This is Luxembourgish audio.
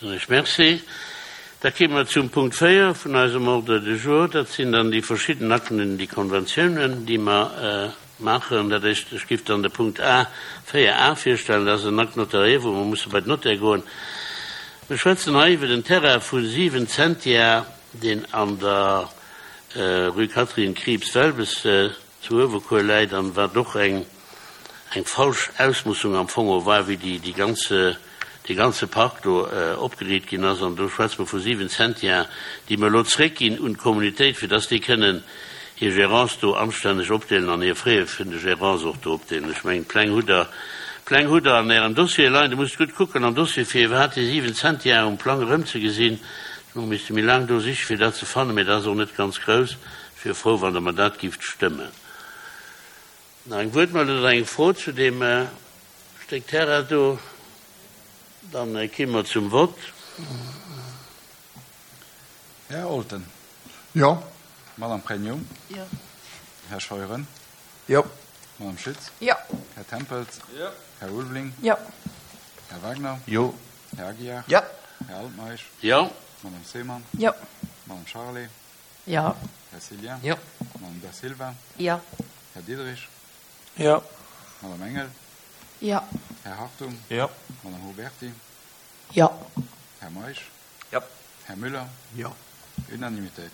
Soen ech Merci. Da kéime mer zum Punkt 4 vun eisem Ordre du jour. Dat sinn dann déi verschidden Akten, déi Konventiounen, déi mer maachen. Dat éischt, ech géif dann de Punkt A, 4 a virstellen. Dat ass en Acte notarié, wou mer musse bei den Notaire goen. Mir schwätzen hei iwwer en Terrain vu 7 Zentiar, deen an der Rue Catherine Krieps-Welbes zu Uewerkuer läit an wat och eng eng falsch Ausmussung am Fong och war, wéi déi déi ganze dee ganze Park do opgeriit ginn ass. An do schwätze mer vu 7 Zentiar, déi mer elo zréckginn un d'Kommunitéit, fir dass déi kënnen hir Gérance do anstänneg opdeelen an hir Frais vun de Gérance och do opdeelen. Ech mengen, d'Pläng hutt Der, d'Pläng hutt Der an Ärem Dossier leien. Dir musst gutt kucken am Dossier, fir iwwerhaapt déi 7 Zentiar um Plang erëmzegesinn. Ech mengen, misste méi laang do sichen, fir dat ze fannen, mä dat ass och net ganz grouss. Ech wier frou, wann Der mer dat gift stëmmen. Nach eng Wuertmeldung oder eng Fro zu deem Stéck Terrain do? Dann ki mer zum Vott. Här Olten. Jo. Madame Pregno. Jo. Här Scheuren. Jo. Madame Schütz. Jo. Här Tempels. Jo. Här Ulveling. Jo. Här Wagner. Jo. Här Aguiar. Jo. Här Altmeisch. Jo. Madame Seemann. Jo. Madame Charlé. Jo. Här Cillien. Jo. Madame Da Silva. Jo. Här Diderich. Jo. Madame Engel. Jo. Här Hartung. Jo. Madame Huberty. Jo. Här Meisch. Jo. Här Müller. Jo. Unanimitéit.